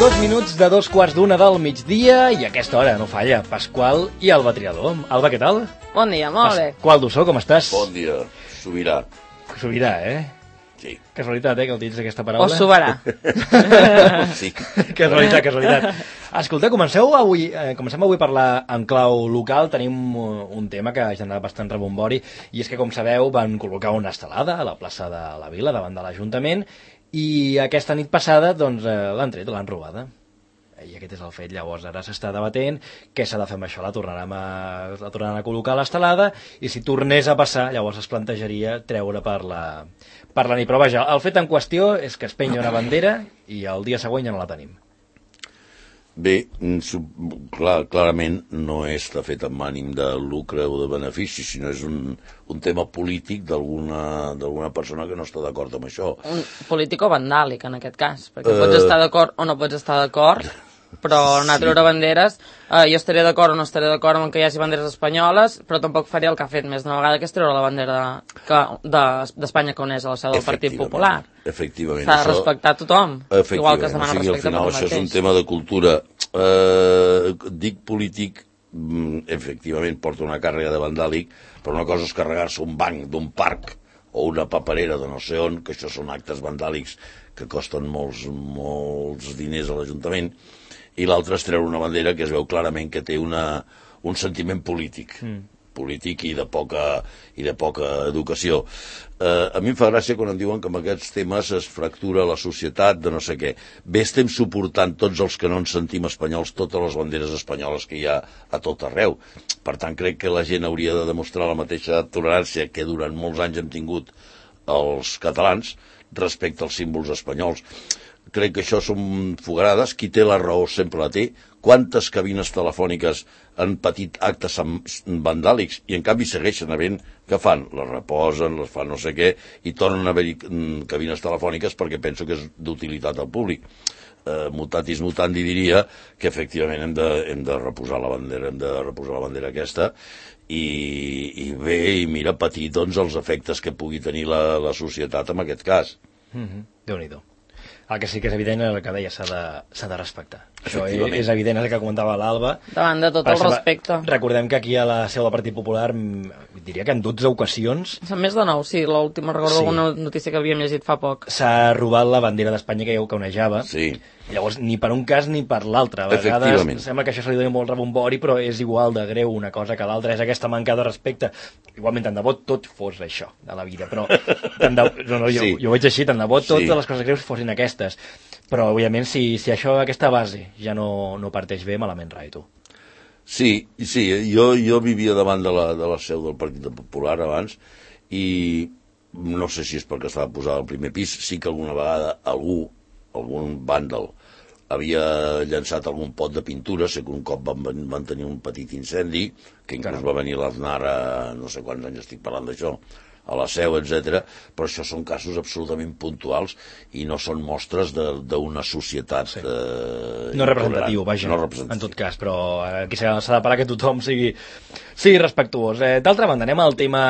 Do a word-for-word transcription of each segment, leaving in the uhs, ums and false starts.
Dos minuts de dos quarts d'una del migdia i a aquesta hora no falla Pasqual i Alba Triador. Alba, què tal? Bon dia, molt bé. Pasqual Dussó, com estàs? Bon dia, sobirà. Sobirà, eh? Sí. Casualitat, eh, que utilitzis aquesta paraula. O soberà. Sí. Casualitat, casualitat. Escolta, comenceu avui, eh, comencem avui a parlar en clau local. Tenim un tema que ha generat bastant rebombori i és que, com sabeu, van col·locar una estelada a la plaça de la Vila, davant de l'Ajuntament, i aquesta nit passada doncs, eh, l'han tret, l'han robada. I aquest és el fet. Llavors ara s'està debatent què s'ha de fer amb això. La tornarem a, la tornaran a col·locar a l'estelada i si tornés a passar, llavors es plantejaria treure per la, per la nit. Però vaja, el fet en qüestió és que es penya una bandera i el dia següent ja no la tenim. Bé, clar, clarament no és de fet amb ànim de lucre o de benefici, sinó és un, un tema polític d'alguna d'alguna persona que no està d'acord amb això. Un polític o vandàlic, en aquest cas, perquè uh... pots estar d'acord o no pots estar d'acord, però anar a treure banderes, eh, jo estaré d'acord o no estaré d'acord amb que hi hagi banderes espanyoles, però tampoc faria el que ha fet més d'una vegada, que és treure la bandera d'Espanya de, que uneix a la seu del Partit Popular. Efectivament. S'ha de respectar tothom, igual que es demana o sigui, respecte al final per això mateix. és un tema de cultura. Eh, dic polític, efectivament porta una càrrega de vandàlic, però una cosa és carregar-se un banc d'un parc o una paperera de no sé on, que això són actes vandàlics que costen molts, molts diners a l'Ajuntament, i l'altre és treure una bandera que es veu clarament que té una, un sentiment polític, mm. polític i de poca, i de poca educació. Eh, a mi em fa gràcia quan em diuen que amb aquests temes es fractura la societat de no sé què. Bé, estem suportant tots els que no ens sentim espanyols totes les banderes espanyoles que hi ha a tot arreu. Per tant, crec que la gent hauria de demostrar la mateixa tolerància que durant molts anys hem tingut els catalans respecte als símbols espanyols. Crec que això són fogarades. Qui té la raó sempre la té. Quantes cabines telefòniques han patit actes vandàlics i en canvi segueixen havent, que fan? Les reposen, les fan no sé què i tornen a haver-hi cabines telefòniques perquè penso que és d'utilitat al públic. Eh, mutatis mutandi diria que efectivament hem de, hem de reposar la bandera, hem de reposar la bandera aquesta i, i bé, i mira, patir doncs els efectes que pugui tenir la, la societat en aquest cas. Mm-hmm. Déu-n'hi-do. El que sí que és evident és el que deia, s'ha de, s'ha de respectar. Això és evident, és el que comentava l'Alba. Davant de tot el respecte. Recordem que aquí a la seu del Partit Popular, diria que en dotze ocasions... Són més de nou, sí, l'última recordo sí. Alguna notícia que havíem llegit fa poc. S'ha robat la bandera d'Espanya que que onejava. Sí. Llavors, ni per un cas ni per l'altre. A vegades sembla que això se li doni molt rebombori, però és igual de greu una cosa que l'altra. És aquesta manca de respecte. Igualment, tant de bo tot fos això, de la vida. Però tant de, no, no, jo, sí. jo ho veig així, tant de bo totes sí. les coses greus fossin aquestes. Però, òbviament, si, si això, aquesta base ja no, no parteix bé, malament rai, tu. Sí, sí, jo, jo vivia davant de la, de la seu del Partit Popular abans i no sé si és perquè estava posada al primer pis, sí que alguna vegada algú, algun vàndal, havia llançat algun pot de pintura, sé que un cop van, van tenir un petit incendi, que inclús Caram. va venir l'Aznar a no sé quants anys estic parlant d'això, a la seu, etcètera, però això són casos absolutament puntuals i no són mostres d'una societat sí. eh, no representatiu, vaja, no representatiu. En tot cas, però aquí s'ha de parar que tothom sigui, sigui respectuós. Eh, D'altra banda, anem al tema,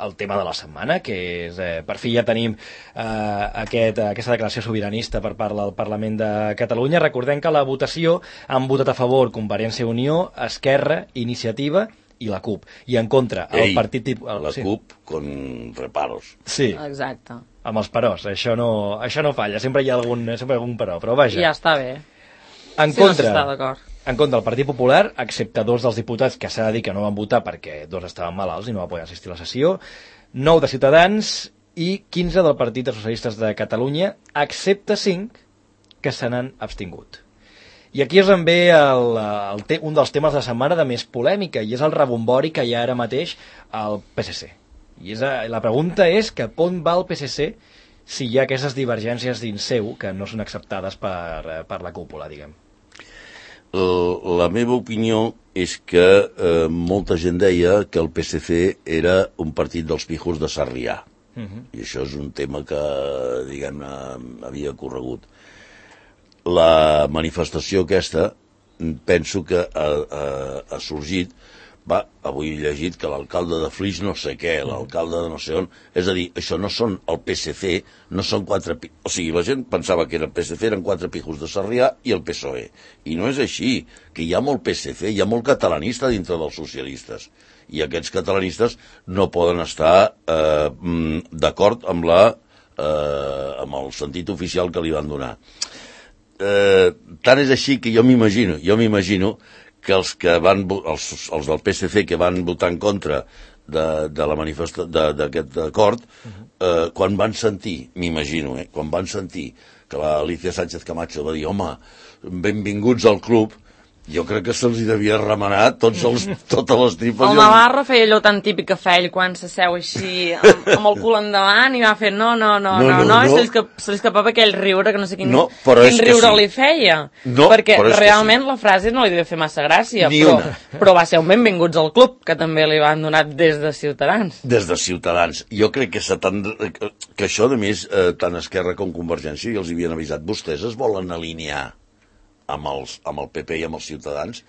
al tema de la setmana, que és, eh, per fi ja tenim eh, aquest, aquesta declaració sobiranista per part del Parlament de Catalunya. Recordem que la votació han votat a favor Convergència i Unió, Esquerra, Iniciativa i la CUP, i en contra el Ei, partit... El, la sí. CUP con reparos. Sí, exacte. Amb els peròs, això no, això no falla, sempre hi ha algun, sempre hi ha algun però, però vaja. Ja està bé. En sí, contra, no en contra del Partit Popular, excepte dos dels diputats que s'ha de dir que no van votar perquè dos estaven malalts i no van poder assistir a la sessió, nou de Ciutadans i quinze del Partit dels Socialistes de Catalunya, excepte cinc que se n'han abstingut. I aquí és on ve el, el te, un dels temes de la setmana de més polèmica, i és el rebombori que hi ha ara mateix al P S C. I és, la pregunta és que on va el P S C si hi ha aquestes divergències dins seu que no són acceptades per, per la cúpula, diguem. La meva opinió és que eh, molta gent deia que el P S C era un partit dels pijos de Sarrià. Uh-huh. I això és un tema que, diguem-ne, havia corregut. La manifestació aquesta penso que ha, ha, ha sorgit va, avui he llegit que l'alcalde de Flix no sé què, l'alcalde de no sé on... És a dir, això no són el P S C, no són quatre... O sigui, la gent pensava que era el P S C, eren quatre pijos de Sarrià i el P S O E. I no és així, que hi ha molt P S C, hi ha molt catalanista dintre dels socialistes. I aquests catalanistes no poden estar eh, d'acord amb la... Eh, amb el sentit oficial que li van donar. Eh, tant és així que jo m'imagino, jo m'imagino que els que van, els, els del P S C que van votar en contra de, de la manifesta, d'aquest acord, eh, quan van sentir, m'imagino, eh, quan van sentir que l'Alicia Sánchez Camacho va dir, home, benvinguts al club, jo crec que se'ls devia remenar tots els, totes les tripes. El Navarro feia allò tan típic que fa ell quan s'asseu així amb, amb el cul endavant i va fer no, no, no, no, no, no, no. I se li, escap, se li escapava aquell riure que no sé quin, no, quin riure sí. li feia. No, perquè realment sí. La frase no li devia fer massa gràcia, però, però va ser un benvinguts al club, que també li van donar des de Ciutadans. Des de Ciutadans. Jo crec que, que això, a més, eh, tant Esquerra com Convergència, i els havien avisat, vostès es volen alinear amb, els, amb el P P i amb els Ciutadans,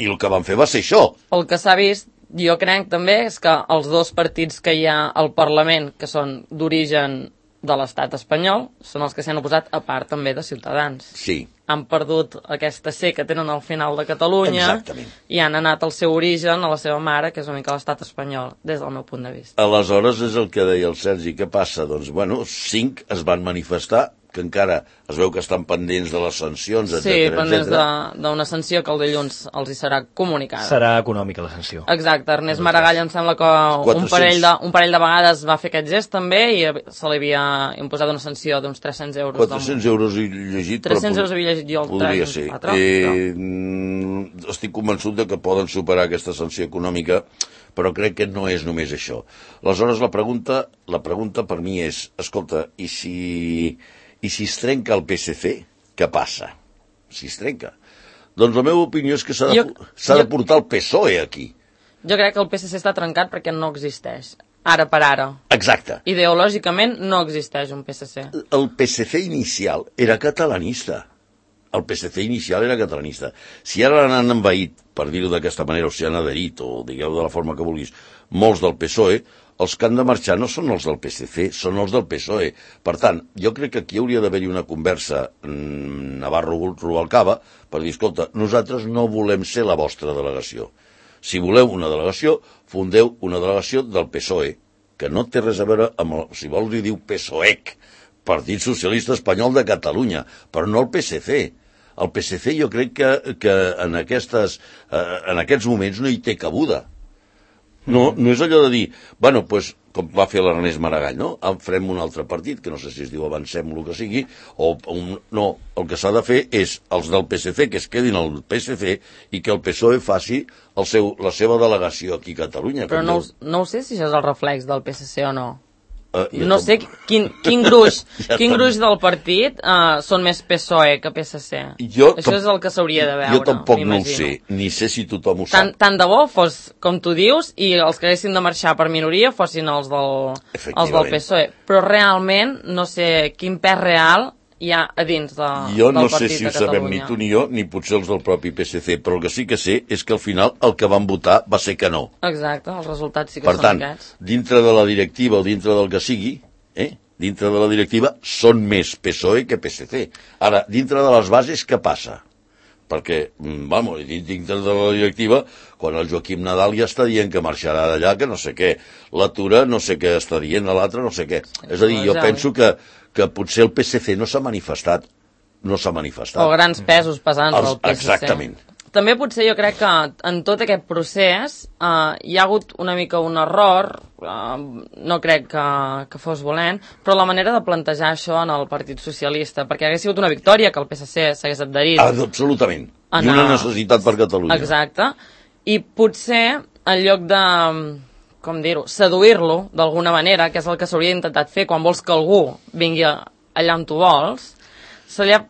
i el que van fer va ser això. El que s'ha vist, jo crec també, és que els dos partits que hi ha al Parlament, que són d'origen de l'estat espanyol, són els que s'han oposat a part també de Ciutadans. Sí. Han perdut aquesta C que tenen al final de Catalunya. Exactament. I han anat al seu origen, a la seva mare, que és una mica l'estat espanyol, des del meu punt de vista. Aleshores és el que deia el Sergi, què passa? Doncs, bueno, cinc es van manifestar, que encara es veu que estan pendents de les sancions, etcètera. Sí, pendents d'una sanció que el dilluns els hi serà comunicada. Serà econòmica la sanció. Exacte, Ernest Maragall em sembla que un parell, de, un parell de vegades va fer aquest gest també i se li havia imposat una sanció d'uns tres-cents euros. quatre-cents euros he llegit. tres-cents euros havia llegit jo el podria ser. Patró, eh, però... Estic convençut de que poden superar aquesta sanció econòmica, però crec que no és només això. Aleshores la pregunta, la pregunta per mi és, escolta, i si... I si es trenca el P S C, què passa? Si es trenca. Doncs la meva opinió és que s'ha de, jo, de portar el P S O E aquí. Jo crec que el P S C està trencat perquè no existeix. Ara per ara. Exacte. Ideològicament no existeix un P S C. El P S C inicial era catalanista. El P S C inicial era catalanista. Si ara l'han envaït, per dir-ho d'aquesta manera, o si han adherit, o digueu de la forma que vulguis, molts del P S O E, els que han de marxar no són els del P S C, són els del P S O E. Per tant, jo crec que aquí hauria d'haver-hi una conversa mmm, Navarro-Rubalcaba per dir, escolta, nosaltres no volem ser la vostra delegació. Si voleu una delegació, fundeu una delegació del P S O E, que no té res a veure amb, el, si vols li diu P S O E C, Partit Socialista Espanyol de Catalunya, però no el P S C. El P S C jo crec que, que en, aquestes, eh, en aquests moments no hi té cabuda. No, no és allò de dir, bueno, pues, com va fer l'Ernest Maragall, no? Farem un altre partit, que no sé si es diu Avancem, el que sigui, o un, no, el que s'ha de fer és els del P S C que es quedin al P S C i que el P S O E faci el seu, la seva delegació aquí a Catalunya. Però no, no ho sé si això és el reflex del P S C o no. Uh, no tom... sé quin, quin gruix ja quin gruix del partit uh, són més P S O E que P S C. Jo Això és el que s'hauria de veure. Jo tampoc no ho sé, ni sé si tothom ho tant, sap. Tant de bo fos, com tu dius, i els que haguessin de marxar per minoria fossin els del, els del P S O E. Però realment no sé quin pes real hi ha a dins de, jo del no partit sé si de ho sabem ni tu ni jo, ni potser els del propi P S C, però el que sí que sé és que al final el que van votar va ser que no. Exacte, els resultats sí que per són tant, aquests. Dintre de la directiva o dintre del que sigui, eh, dintre de la directiva són més P S O E que P S C. Ara, dintre de les bases, què passa? Perquè, vamos, dintre de la directiva, quan el Joaquim Nadal ja està dient que marxarà d'allà, que no sé què, la Tura no sé què està dient, l'altre no sé què. És a dir, jo penso que, que potser el P S C no s'ha manifestat, no s'ha manifestat. O grans pesos pesants del P S C. Exactament. També potser jo crec que en tot aquest procés eh, hi ha hagut una mica un error, eh, no crec que, que fos volent, però la manera de plantejar això en el Partit Socialista, perquè hagués sigut una victòria que el P S C s'hagués adherit. Ah, absolutament. I una necessitat per Catalunya. Exacte. I potser, en lloc de, com dir-ho, seduir-lo d'alguna manera, que és el que s'hauria intentat fer quan vols que algú vingui allà on tu vols, se li ha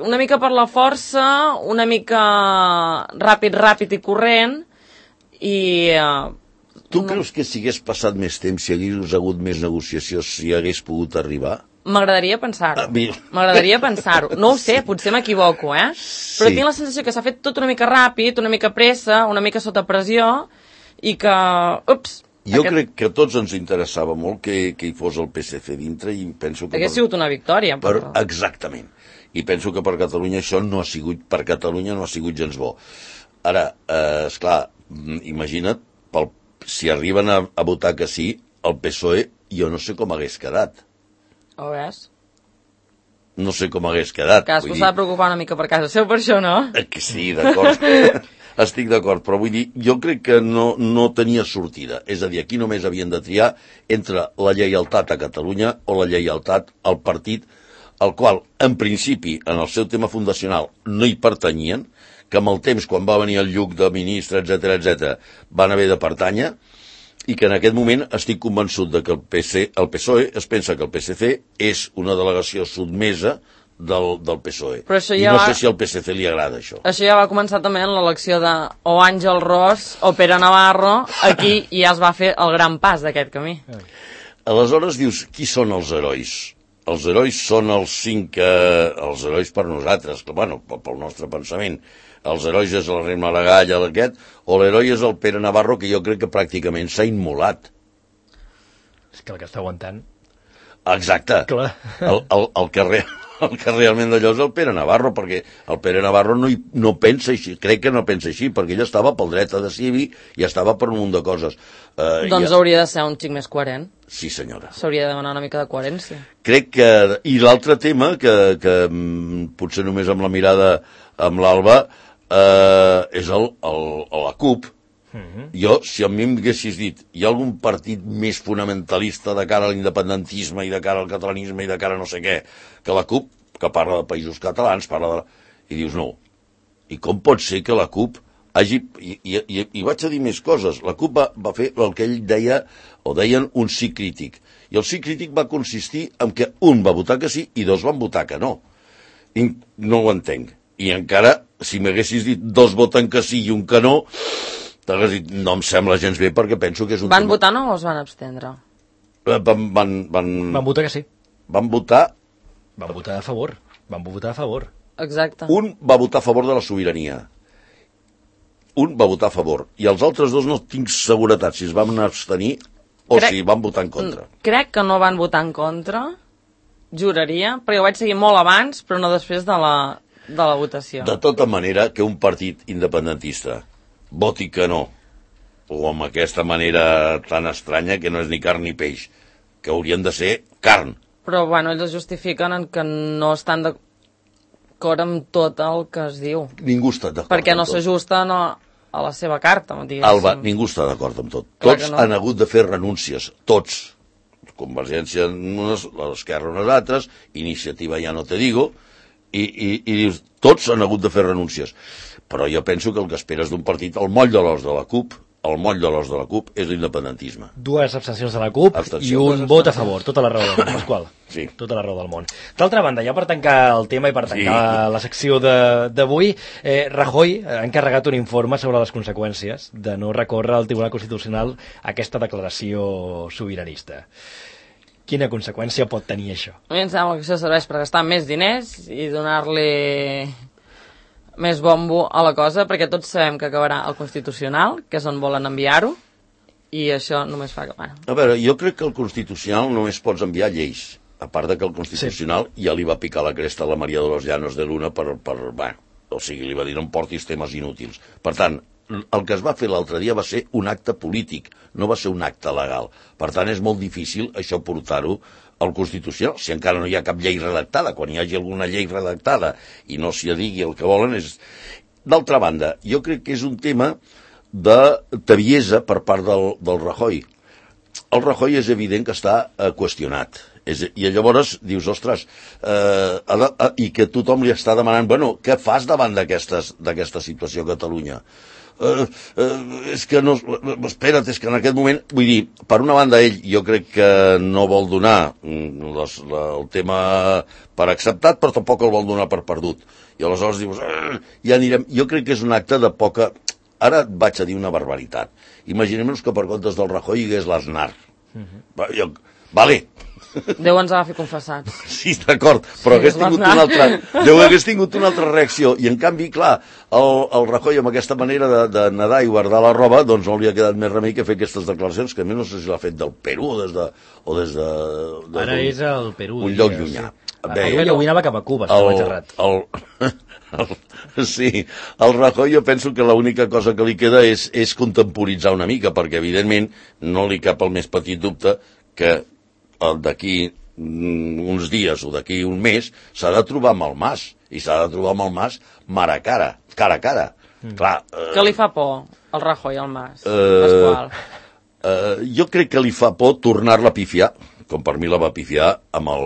una mica per la força, una mica ràpid, ràpid i corrent, i... Uh, tu no... creus que si hagués passat més temps, si hagués hagut més negociació, si hagués pogut arribar? M'agradaria pensar-ho. Ah, mi- M'agradaria pensar-ho. No ho sé, potser m'equivoco, eh? Però Sí. tinc la sensació que s'ha fet tot una mica ràpid, una mica pressa, una mica sota pressió, i que... Ups! Jo aquest... crec que a tots ens interessava molt que, que hi fos el P S C dintre i penso que... Hagués sigut una victòria. Per, Però... exactament. I penso que per Catalunya això no ha sigut, per Catalunya no ha sigut gens bo. Ara, eh, esclar, mm, imagina't, pel, si arriben a, a votar que sí, el P S O E, jo no sé com hagués quedat. Ho ves? No sé com hagués quedat. Cadascú vull s'ha de dir, preocupar una mica per casa seu, per això, no? eh, que sí, d'acord. Estic d'acord, però vull dir, jo crec que no, no tenia sortida. És a dir, aquí només havien de triar entre la lleialtat a Catalunya o la lleialtat al partit al qual, en principi, en el seu tema fundacional, no hi pertanyien, que amb el temps, quan va venir el Lluc de ministre, etcètera, etcètera, van haver de pertànyer, i que en aquest moment estic convençut de que el, P C, el P S O E es pensa que el P S C és una delegació sotmesa del, del P S O E. Però això I ja no va- sé si al P S C li agrada això. Això ja va començar també en l'elecció de o Àngel Ros o Pere Navarro, aquí ja es va fer el gran pas d'aquest camí. Aleshores dius, qui són els herois? Els herois són els cinc, eh, els herois per nosaltres, que, bueno, pel nostre pensament. Els herois és el rei Maragall, aquest, o l'heroi és el Pere Navarro, que jo crec que pràcticament s'ha immolat. És que el que està aguantant... Exacte. Clar. El, el, el, que re, el que realment d'allò és el Pere Navarro, perquè el Pere Navarro no, hi, no pensa així, crec que no pensa així, perquè ell estava pel dret a decidir i estava per un munt de coses. Uh, Doncs ja... hauria de ser un xic més coherent. Sí, senyora. S'hauria de demanar una mica de coherència. Crec que... I l'altre tema, que, que mm, potser només amb la mirada amb l'Alba, eh, és el, el, la CUP. Uh-huh. Jo, si a mi m'haguessis dit hi ha algun partit més fonamentalista de cara a l'independentisme i de cara al catalanisme i de cara a no sé què, que la CUP, que parla de països catalans, parla de... I dius, no. I com pot ser que la CUP hagi... I, i, i, i vaig a dir més coses. La CUP va, va fer el que ell deia, o deien, un sí crític. I el sí crític va consistir en que un va votar que sí i dos van votar que no. I no ho entenc. I encara, si m'haguessis dit dos voten que sí i un que no, t'hagués dit, no em sembla gens bé perquè penso que és un Van tema... votar no o es van abstendre? Van, van, van, Van votar que sí. van votar... Van votar a favor. Van votar a favor. Exacte. Un va votar a favor de la sobirania. Un va votar a favor. I els altres dos no tinc seguretat si es van abstenir o Crec- si van votar en contra. Crec que no van votar en contra, juraria, perquè ho vaig seguir molt abans, però no després de la, de la votació. De tota manera, que un partit independentista voti que no, o amb aquesta manera tan estranya que no és ni carn ni peix, que haurien de ser carn. Però, bueno, ells es justifiquen en que no estan d'acord amb tot el que es diu. Ningú està d'acord Perquè no amb tot. s'ajusten a, a la seva carta, diguéssim. Alba, ningú està d'acord amb tot. Clar Tots que no. han hagut de fer renúncies, tots. Convergència unes, l'Esquerra unes altres, Iniciativa ja no te digo, i, i, i dius, tots han hagut de fer renúncies. Però jo penso que el que esperes d'un partit, el moll de l'os de la CUP, el moll de l'os de la CUP és l'independentisme. Dues abstencions de la CUP Abstenció, i un dues vot a abstencions. favor. Tota la raó del món, Pasqual. Sí. Tota la raó del món. D'altra banda, ja per tancar el tema i per tancar Sí. la secció de- d'avui, eh, Rajoy ha encarregat un informe sobre les conseqüències de no recórrer al Tribunal Constitucional aquesta declaració sobiranista. Quina conseqüència pot tenir això? A mi em sembla que això serveix per gastar més diners i donar-li més bombo a la cosa, perquè tots sabem que acabarà el Constitucional, que és on volen enviar-ho, i això només fa que... Bueno, A veure, jo crec que el Constitucional només pots enviar lleis, a part de que el Constitucional sí. ja li va picar la cresta a la Maria de los Llanos de Luna per, per bueno, o sigui, li va dir no em portis temes inútils. Per tant, el que es va fer l'altre dia va ser un acte polític, no va ser un acte legal. Per tant, és molt difícil això portar-ho al Constitucional, si encara no hi ha cap llei redactada. Quan hi hagi alguna llei redactada i no s'hi digui el que volen és... D'altra banda, jo crec que és un tema de tebiesa per part del, del Rajoy. El Rajoy és evident que està eh, qüestionat. És, I llavors dius, ostres, eh, ha de, eh, i que tothom li està demanant, bueno, què fas davant d'aquesta situació a Catalunya? Uh, uh, és que no... Espera't, és que en aquest moment... Vull dir, per una banda, ell jo crec que no vol donar les, la, el tema per acceptat, però tampoc el vol donar per perdut. I aleshores dius, uh, ja anirem... Jo crec que és un acte de poca... Ara et vaig a dir una barbaritat. Imaginem-nos que per comptes del Rajoy hi hagués l'Aznar. Uh-huh. Jo... Vale, Déu ens agafi confessats. Sí, d'acord, però Sí, hagués es va tingut anar. una altra... Déu hagués tingut una altra reacció. I, en canvi, clar, el, el Rajoy, amb aquesta manera de, de nedar i guardar la roba, doncs no li ha quedat més remei que fer aquestes declaracions, que a més no sé si l'ha fet del Perú o des de... O des de, de Ara és el Perú. un lloc diria, llunyà. sí. Bé, Avui avui anava cap a Cuba, si no vaig errat. el, el, sí, el Rajoy jo penso que l'única cosa que li queda és, és contemporitzar una mica, perquè evidentment no li cap el més petit dubte que el d'aquí mm, uns dies o d'aquí un mes s'ha de trobar amb el Mas, i s'ha de trobar amb el Mas mar a cara, cara a cara. Mm. Clar, eh, Que li fa por, el Rajoy al Mas, Eh, Pasqual. eh, jo crec que li fa por tornar-la a pifiar, com per mi la va pifiar amb el...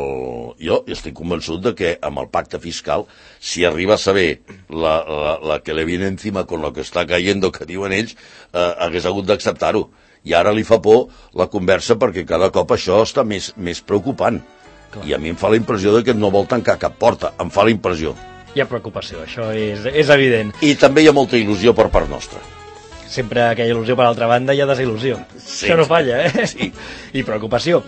Jo estic convençut de que amb el pacte fiscal, si arriba a saber la, la, la que le viene encima con lo que està cayendo, que diuen ells, eh, hagués hagut d'acceptar-ho. I ara li fa por la conversa perquè cada cop això està més, més preocupant. Clar. I a mi em fa la impressió de que no vol tancar cap porta. Em fa la impressió. Hi ha preocupació, això és, és evident. I també hi ha molta il·lusió per part nostra. Sempre que hi ha il·lusió per l'altra banda hi ha desil·lusió. Sí. Això no falla, eh? Sí. I preocupació.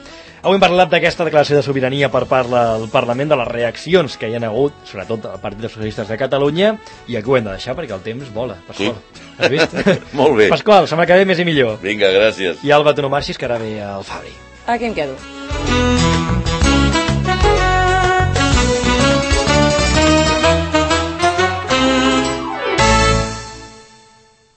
Avui hem parlat d'aquesta declaració de sobirania per part del Parlament, de les reaccions que hi ha hagut, sobretot al Partit dels Socialistes de Catalunya, i aquí ho hem de deixar perquè el temps vola. Pasqual, Sí. has vist? Molt bé. Pasqual, setmana que ve més i millor. Vinga, gràcies. I Alba, tu no marxis, que ara ve el Fabri. Aquí em quedo.